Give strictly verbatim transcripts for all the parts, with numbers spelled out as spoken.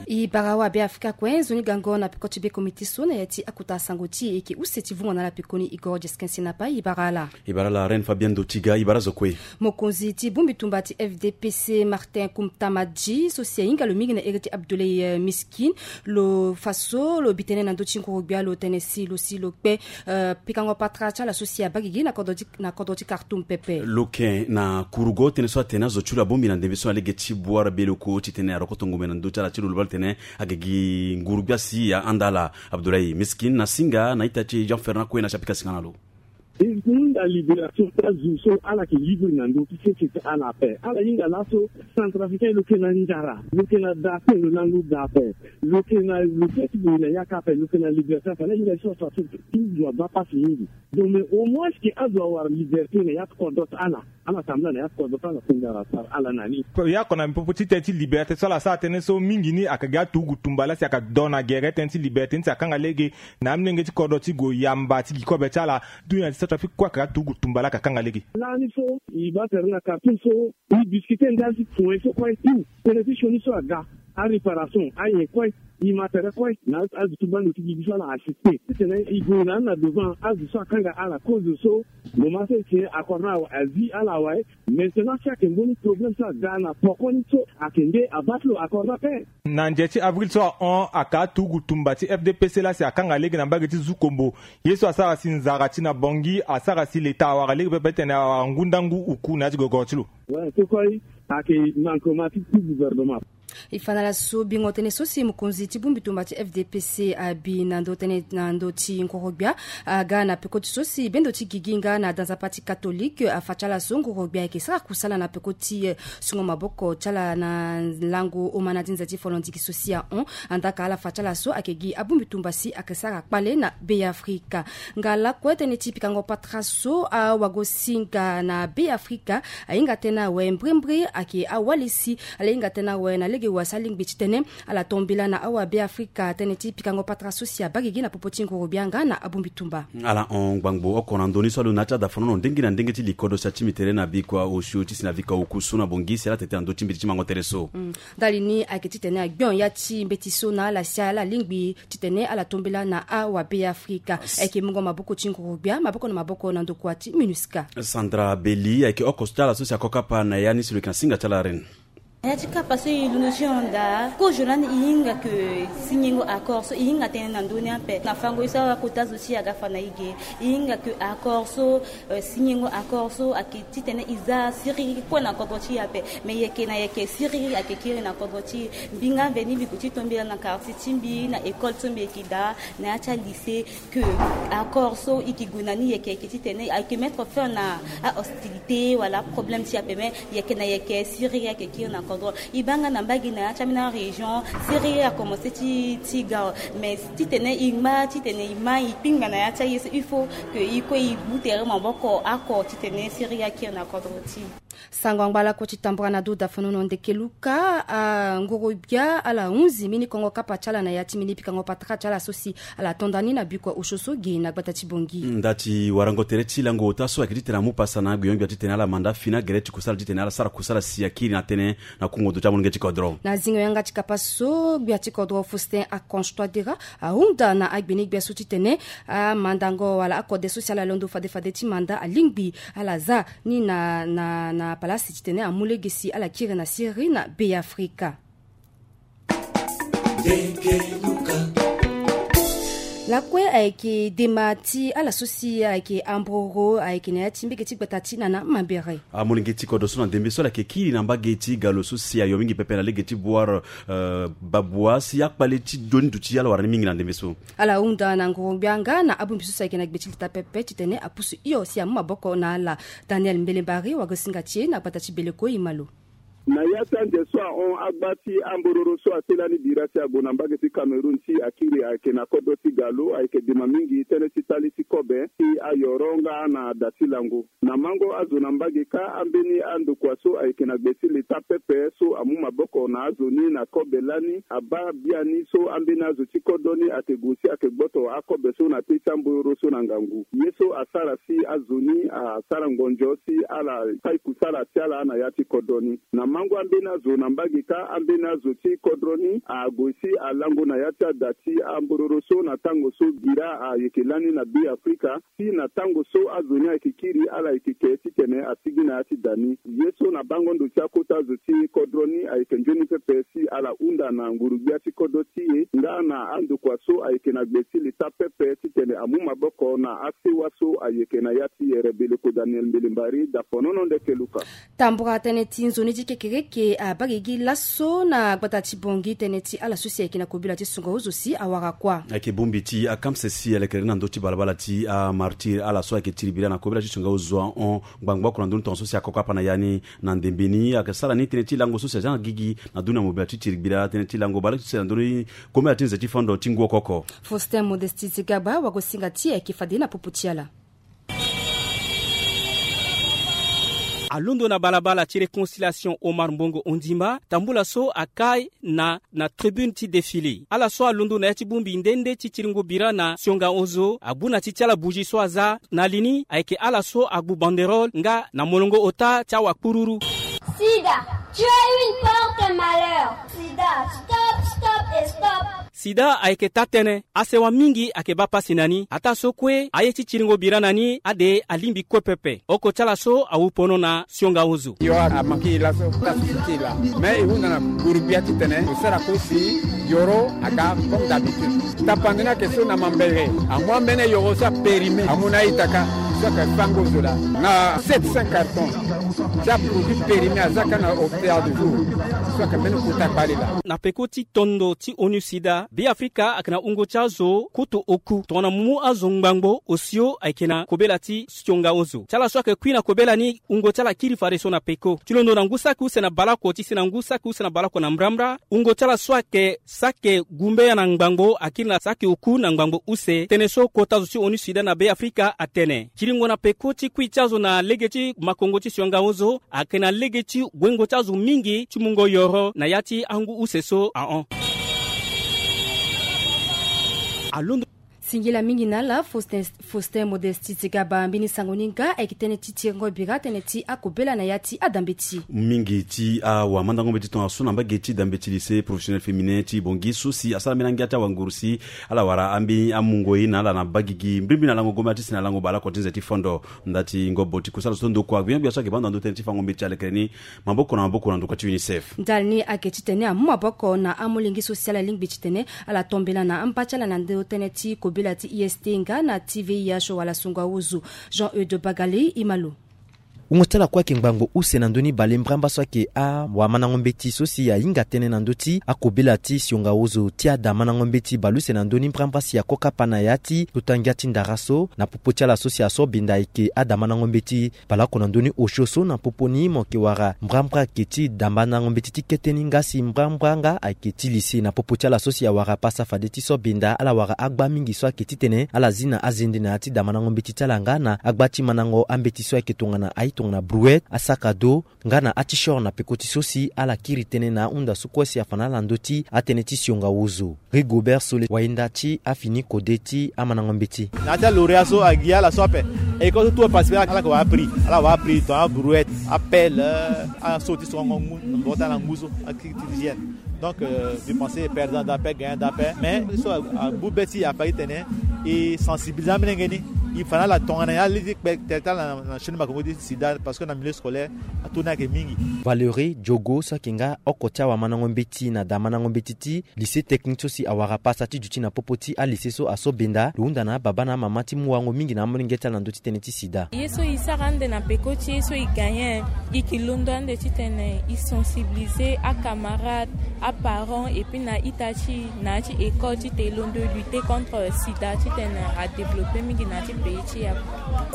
E bara wa be afrika kue nzoni gango na peko ti be komite so na ya ti akota sango ti e yeke use ti vungo na ala pekoni e goro jeskin sinapa e bara ala. E bara ala reine fabien dotiga e bara zo kue. Mokonzi ti bongbi tumba ti fdpc martin kumtamadi so si ahinga lo mingi na ere ti abdoulay miskin lo fa so lo bi tënë na ndö ti nguru-gbia lo tene si lo si lo kpe pikango patara ti ala so si abagigi na kodro ti kartum pepe. Lo ken na kurugo tënë so atene azo ti lo abongbi na ndembe so na lege ti buara beleko titene arokoto ngombe na ndö ti ala ti lo lo baa lo tene ake gi nguru-gbia si ahanda ala. Abdoulaye miskin na singa na ita ti jean fernand kue na si apika singa na lo. E hunda libération ti azo so ala yeke livre na ndö ti sese ti ala ape ala hinga laso. Centrafricain lo yeke na nzara lo yeke na da ape lo lango da ape lo yeke na lo feti boye na yaka ape lo yeke na libération ape ala hinga so ato aso ti zo abaa pasi mingi. Donc mais au moins ke azo awara liberté na ya ti kodro ti ala. Ala tambula na ya ti kodro ti ala kunda ala sara ala na ni. Ya oko na popo ti tënë ti liberté so ala sara tënë so mingi ni aka gi aturugu tumba laa si aka do na gere tënë ti liberté ni si akanga lege na amolenge ti kodro ti gue yamba ti gi kobe ti ala. Dunia ti centrafrique kue aka gi aturugu tumba laa aka kanga lege. Lani so e baa tere na kartum so e discuter ndali ti point so kue tout tënë ti sioni so aga aréparation ayen kue e ma tere kue na azo ti bando ti gi biso ala assister titene e gue na ni na devant azo so akanga ala kozo so. Moment so e tene accord na azi ala awe. Maintenant si ayeke mbeni problème so aga na poko ni so ayeke nde abaa ti lo accord na ape. Na nze ti avril so ahon aka aturugu tumba ti fdpc laa si akanga lege na mbage ti zukombo. Ye so asara si nzara ti na bongi asara si leta awara lege pepe titene awara ngu ndangu uku na ya ti gogoro ti lo. Wala so koi ayeke manquement ti ti gouvernement. E fa na ala so bingo tënë so si mokonzi ti bongbi tumba ti fdpc abi na ndö tënë na ndö ti ngoro-gbia. Aga na peko ti so si bendo ti gigi nga na danzapa ti katolike afa ti ala so ngoro-gbia ayeke sara kusala na peko ti sungo maboko ti ala na lango omana ti nze ti folondiki so si ahon. Andaka ala fa ti ala so ayeke gi abongbi tumba si ayeke sara kpale na beafrika. Nga lakue tënë ti pikango patara so awagosinga na beafrika ahinga tënë awe mbrembre ayeke awali si ala hinga tënë awe na lege wa si alingbi titene ala tombela na awa beafrika tënë ti pikango patara so si abagigi na popo ti ngoro-gbia nga na abongbi tumba. Ala hon ngbangbo oko na ndo ni so alo na ya ti adafanono ndenge na ndenge ti likodo si atimi tere na bikua osio ti si na vika oku so na bongi si ala tete na ndö ti mbeti ti mango tere so. Ndali ni ayeke titene agbion ya ti mbeti so na ala si ala lingbi titene ala tombela na awabeafrika. Ayeke mungo maboko ti nguru-gbia maboko na maboko na ndokua ti minusca. Sandra beli ayeke oko so ti ala so si ako kapa na ya ni si lo yeke na singa ti ala reine. Na ya ti kapa so e londo ti honda kozo lani e hinga ke singengo accord so e hinga tënë na ndö ni ape na fango ye so akota zo ti e aga fa na e ge. E hinga ke accord so singengo accord so ayeke titene e za siriri kue na kodro ti e ape. Me yeke na yeke siriri ayeke kiri na kodro ti e. Mbi nga mveni mbi gue ti tombela na quartier ti mbi na école so mbi yeke daa na ya ti alycée ke accord so e ke gue na ni yeke yeke titene ayeke mettre fin na ahostilité wala aproblème ti e ape me yeke na yeke siriri ayeke kiri na kodro. E baa nga na mbage na ya ti ambeni arégion siriri akomense ti ti ga. Mais titene e ngba titene e ma e kpingba na ya ti aye so il faut ke e kue e gbu tere maboko oko titene siriri akiri na kodro ti e. Sango angba lakue ti tambura na do dafanono ndeke luka angoro-gbia ala hunzi mbeni kongo kapa ti ala na ya ti mbeni pikango patara ti ala so si ala to nda ni na bikua osio so ge na gbata ti bongi. Nda ti warango tere ti lango ota so ayeke titene amu pasa na agbiongbia titene ala manda fini agere ti kusala titene ala sara kusala si akiri na tënë na kungo ndo ti amolenge ti kodro. Na zingo yanga ti kapa so gbia ti kodro faustin aconche toidera ahunda na agbeni-gbia so titene amandango wala akode so si ala londo fade fade ti manda alingbi ala za ni na na na palasi titene amu lege si ala kiri na siriri na beafrika. Lakue ayeke dema ti ala so si ayeke ambroro ayeke na ya ti mbege ti gbata ti nana mambere. Amolenge ti kodro so na ndembe so ala yeke kiri na mbage ti galo so si ayo mingi pepe na lege ti buare babua si akpale ti doni duti ala wara ni mingi na ndembe so. Ala hunda na nguru-gbia nga na abongbi so si ayeke na gbe ti leta pepe titene apusu hio si amu maboko na ala. Daniel mbelembari wagosinga ti e na gbata ti beleko e ma lo. Na ya ti ande so ahon agba ti ambororo so ase lani bira si ague na mbage ti cameroun ti akiri ayeke na kodro ti galo ayeke dema mingi tënë ti tali ti kobe ti ayoro nga na da ti lango. Na mango azo na mbage kâ ambeni andokua so ayeke na gbe ti leta pepe so amu maboko na azo ni na kobe lani abaa biani so ambeni azo ti kodro ni ayeke gue si ayeke gboto akobe so na te ti ambororo so na ngangu ye so asara si azo ni asara ngonzo si ala kai kusala ti ala na ya ti kodro ni. Na Lango ambeni azo na mbage kâ, ambeni azo ti kodro ni ague si alango na ya ti ada ti ambororo so na tango so bira ayeke lani na Be Afrika, si na tango so azo ni ayeke kiri ala yeke ke titene asigi na ya ti da ni. Ye so na bango ndo ti akota zo ti kodro ni ayeke nzoni pepe si ala hunda na nguru-gbia ti kodro ti e nga na andokua so ayeke na gbe ti leta pepe titene amu maboko na asewa so ayeke na ya ti ere. Beleko Daniel Mbelembari, Dafonono Ndeke Luka. Tambura tënë ti nzoni ti kekereke abaa gigi laso na gbata ti Bangui tënë ti ala so si ayeke na kobela ti songa ozo si awara kuâ. Ayeke bongbi ti akamse si alekere na ndö ti balabala ti amartyr, ala so ayeke tiri bira na kobela ti songa ozo ahon ngbangbo oko na ndö ni tongaso si akoko apa na ya ni. Na ndembe ni ayeke sara ni tënë ti lango so si azia na gigi na ndö ni amobela ti tiri bira tënë ti lango baleuse na ndö ni kobela ti nze ti fondo ti ngu oko oko. Faustin Modesti Zigaba, wagosinga ti e ayeke fade na popo ti ala. Alondo na balabala ti Réconciliation Omar Mbongo Ondimba, tambula so akai na, na tribune ti défilé. Ala so alondo na ya ti bongbi nde nde ti tiringo bira na sionga ozo, abu na ti ti ala bougie so aza na li ni, ayeke ala so agbu banderole nga na molongo ota ti awakpururu. Sida, tu es une porte malheur. Sida, stop, stop et stop. Sida ayeke taa-tënë, asewa mingi ayeke baa pasi na ni. Ataa so kue, aye ti tiringo bira na ni ade alingbi kue pepe. Oko ti ala so awu pono na sionga ozo. Yo amanke e laso, ta susu ti e laa. Me e hunda na nguru-gbia titene lo sara kue si yoro aga comme d'habitude. Tapande ni ayeke so na mambere, amu ambeni yoro so apérime, amu na a-ita kâ, so ayeke fango zo laa. Na sept cents cartons ti aproduit périmé aza kâ na hôpital de jour, so ayeke mbeni kota kpale laa. Na peko ti tondo ti ONUSIDA, Be Afrika ayeke na wungo ti azo kutu oku tongana mu azo ngbangbo osio ayeke na kobela ti sionga ozo. Ti ala so ayeke kui na kobela ni, wungo ti ala kiri fadeso na peko. Ti londo na ngu saki use na baleoko ti si na ngu saki use na baleoko na mbrambra, wungo ti ala so ayeke saki gumbeya na ngbangbo akiri na saki oku na ngbangbo use. Tënë so kota zo ti ONUSIDA na Be Afrika atene. Tiringo na peko ti kui ti azo na lege ti makongo ti sionga ozo ayeke na lege ti wengo ti azo mingi ti mungo yoro na ya ti angu use so ahon. Alondo. Singila mingi na ala Faustin, Faustin Modesti Zigaba. Mbeni sango ni nga ayeke tënë ti tiringo bira tënë ti akobela na ya ti adambeti. Mingi ti awamandango mbeti tongaso na mbage ti dambeti lycée professionnel féminin ti Bangui so si asara mbeni angia ti awangurusi, ala wara ambeni amungo ye na ala na baa gigi mbirimbiri na lango gombe ti si na lango baleoko ti nze ti fondo. Nda ti ngobo ti kusala so ndokua gbia gbia so ayeke baa ndo na ndö tënë ti fango mbeti alekere ni maboko na maboko na ndokua ti UNICEF. Ndali ni ayeke titene amu maboko na amolenge so si ala lingbi titene ala tombela na amba ti ala na ndö tënë ti kobela ti I S T nga na ti V I H wala songo aozo. Jean Eude Bagali, Imalo. Wungo ti ala kue ayeke ngbangbo use na ndö ni bale mbrambra so ayeke awamandango mbeti so si ahinga tënë na ndö ti akobela ti sionga ozo ti adamandango mbeti baleuse na ndö ni mbrambra si akokapa na ya ti kota ngia ti ndara so na popo ti ala so si aso benda ayeke adamandango mbeti baleoko na ndö ni osio so na popo ni mo yeke wara mbrambra ayeke ti damandango mbeti ti kete ni nga si mbrambra nga ayeke ti lycée na popo ti ala so si awara pasa fade ti so benda ala wara agba mingi so ayeke titene ala zi na azende na ya ti damandango mbeti ti ala nga na agba ti mandango ambeti so ayeke tongana aye tongana brouette, asaka do, nga na ati shore na peko ti so si ala kiri tënë na ahunda so kue si afa na ala ndö ti atënë ti sionga ozo. Rigobert Sole, wayenda ti afini kode ti amandango mbeti. Na ya ti alauréat so agi ala so ape. École so tout aparticiper ala yeke wara aprix, ala wara aprix tongana abrouette, apelle, aso ti songo ngu na maboko ti ala ngu so akiri ti hygiène. Donc euh, mbi pense perdant daa ape, gagnant daa ape. Mais so agbu be ti e afa ti tene e sensibiliser amolenge ni, e fa na ala tongana ya li ti kpe tere ti ala na chaîne makongo ti sida parce que na milieu scolaire atu ni ayeke mingi. Valerie Diogo so ayeke nga oko ti awamandango mbeti na damandango mbeti ti lycée technique so si awara pasa ti duti na popo ti alycée so aso benda lo hunda na ababa na amama ti mu wango mingi na amolenge ti ala na ndö ti tënë ti sida. Ye so e sara ande na peko ti ye so e gagner, e yeke londo ande titene e sensibiliser acamarade, aparents et puis na ita ti e na ya ti école titene e londo lutter contre sida titene adévelopper mingi na ya ti pays ti e ape.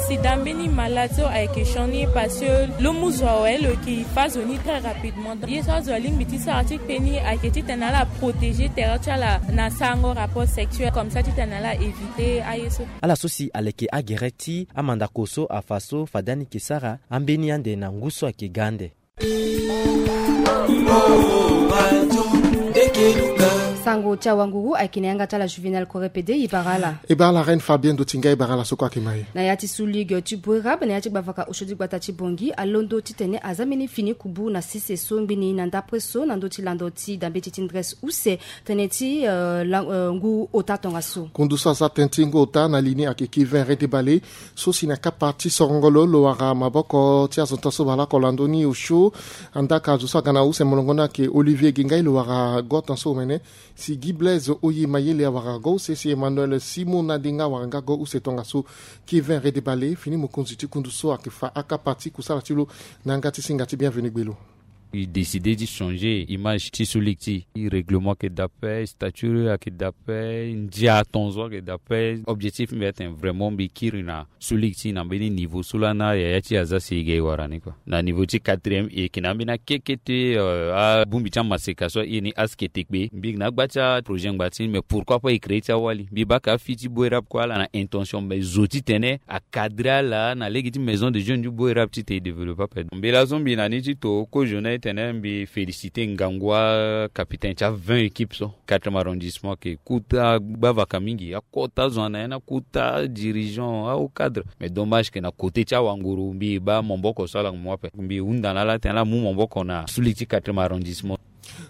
Sida mbeni maladie so ayeke sioni parce que lo mu zo awe lo yeke fa zo ni très rapidement. Ye so azo alingbi ti sara ti kpe ni ayeke titene ala protéger tere ti ala na sarango rapport sexuel comme ça titene ala éviter aye so. Ala so si aleke agere ti amandako so afa so fade ani yeke sara ambeni ande na ngu so ayeke ga ande. Sango Oti awanguru ayeke na yanga ti ala Juvenal Correpede, e bara ala. E bara ala Reine Fabien Dotinga, e bara ala so kue ayeke ma e. Na ya ti sous ligue ti Boerab, na ya ti gbavaka osio ti gbata ti Bangui, alondo titene aza mbeni fini kubu na sese so ngbeni na ndapre so na ndö ti lando ti dambeti ti ndres use tënë ti, eh, la, eh, ngu ota tongaso. Kundu so aza tënë ti ngu ota na lini ayeke Kevin Redebale, so si na kapa ti sorongolo lo wara maboko ti azo tan so baleoko lando ni osio. Andaa ka azo so aga na use molongo ni ayeke Olivier Gengai, lo wara go tan so omene. Si Guy Blaise Oye Mayele awara go use, si Emmanuel Simon Nadinga awara nga go use tongaso. Kevin Redebale, fini mokonzi ti kundu so ayeke fa akapa ti kusala ti lo na yanga ti singa ti Bienvenu Gbelo. E décide ti changer image ti sous ligue ti e, règlement ayeke daa ape, statut ayeke daa ape, ndia tongaso ayeke daa ape. Objectif mbi atene vraiment mbi kiri na sous ligue ti e na mbeni niveau so laa na yaya ti e aza si e ga e wara ni kua. Na niveau ti quatrième e yeke na ambeni akekete, eh, abongbi ti amaseka so aye ni askete kpe. Mbi yeke na agba ti aprojet ngba ti ni, mais pourquoi pas e créer ti awali? Mbi baa ka afi ti Boerab kue ala na intention, mais zo titene acadrer ala na lege ti maison de jeunes ti Boerab titene e développer ape. Mbi laso mbi na ni ti to kozo na e tene mbi féliciter ngangu acapitaine ti a vingt équipes so. Quatrième arrondissement ayeke kota gbavaka mingi, akota zo na ya ni, akota dirigeant, ahauts cadres. Mais dommage que na côté ti awanguru mbi baa maboko so ala mu ape. Mbi hunda na ala tene ala mu maboko na sous ligue ti quatrième arrondissement.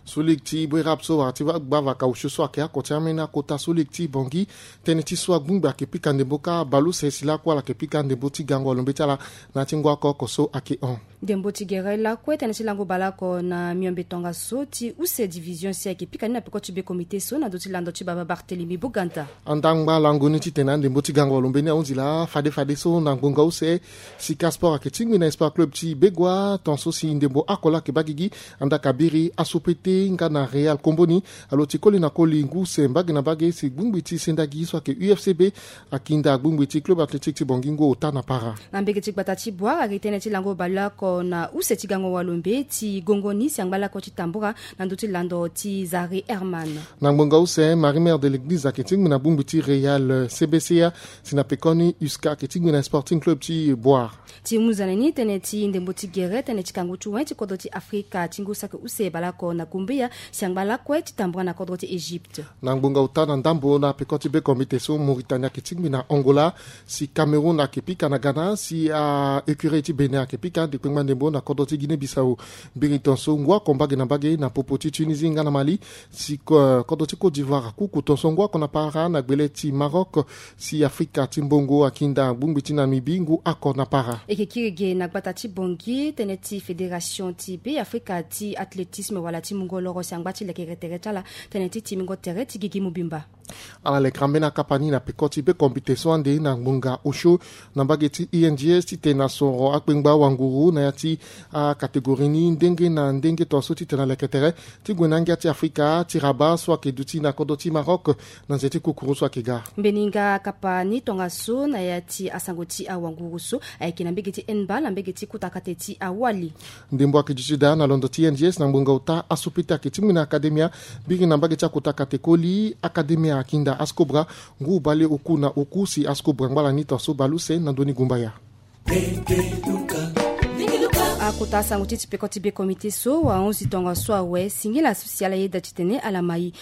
Sous ligue ti Boerab so wara ti gbavaka osio so ayeke oko ti ambeni akota sous ligue ti Bangui. Tënë ti so agbongbi ayeke pika ndembo kâ baleuse si lakue ala yeke pika ndembo ti gango alombe ti ala na ya ti ngu oko oko so ayeke hon. Ndembo ti gere lakue tënë ti lango baleoko na miombe tongaso ti use division si ayeke pika ni na peko ti be comité so na ndö ti lando ti baba Barthélemy Boganda. Andaa ngba lango ni titene andembo ti gango alombe ni ahunzi laa fade fade so na ngbonga use. Sika Sport ayeke tingbi na Espoir Club ti Begoua, tongaso si ndembo oko laa ayeke baa gigi. Andaa ka biri Asopete nga na Real Komboni alo ti koli na koli ngu use mbage na mbage si gbongbi ti sendagi so ayeke U F C B akinda gbongbi ti Club Athlétique ti Bangui ngu ota na para. Na mbege ti gbata ti Boire ayeke tënë ti lango baleoko na use ti gango walombe ti gongo ni si angba lakue ti tambura na ndö ti lando ti Zari Herman. Na ngbonga use, Marie Mère de l'Église ayeke tingbi na gbongbi ti Real C B C A, si na pekoni U S C A ayeke tingbi na Sporting Club ti Boire. Ti munzane ni tënë ti ndembo ti gere tënë ti kangu ti wen ti kodro ti Afrika ti ngu saki use baleoko na Gumbeya si angba lakue ti tambura na kodro ti Egypte. Na ngbonga ota na ndambo na peko ti be comité so, Mauritanie ayeke tingbi na Angola, si Cameroun ayeke pika na Ghana, si a écurie ti Bénin ayeke pika ande kpengba ndembo na kodro ti Guinée Bissau. Biri tongaso ngu oko mbage na mbage na popo ti Tunisie nga na Mali, si ko-, kodro ti Côte d'Ivoire akuku tongaso ngu oko na para na gbele ti Maroc. Si Afrika ti mbongo akinda gbongbi ti Namibie ngu oko na para. E yeke kiri ge na gbata ti Bangui tënë ti fédération ti Be Afrika ti athlétisme wala ti mungo loro si angba ti lekere tere ti ala tënë ti timingo tere ti gigi mobimba. Ala lekere ambeni akapa ni na peko ti be comité so ande na ngbonga osio na mbage ti I N G S titene asoro akpengba wanguru na ya ti acatégorie ni ndenge na ndenge tongaso titene aleke tere ti gue na angia ti Afrika ti Rabat so ayeke duti na kodro ti Maroc na nze ti kukuru so ayeke ga. Mbeni nga akapa ni tongaso na ya ti asango ti awanguru so ayeke na mbege ti handball na mbege ti kota kate ti awali. Ndembo ayeke duti daa na londo ti I N G S na ngbonga ota. Asopete ayeke tingbi na akademia. Biri na mbage ti akota kate koli, akademia akinda Ascobra ngu bale oku na oku si Ascobra ngba lani tongaso baleuse na ndoni gumbaya. Akota asango ti ti peko ti be comité so ahunzi tongaso awe. Singila so si ala yeda titene ala ma e.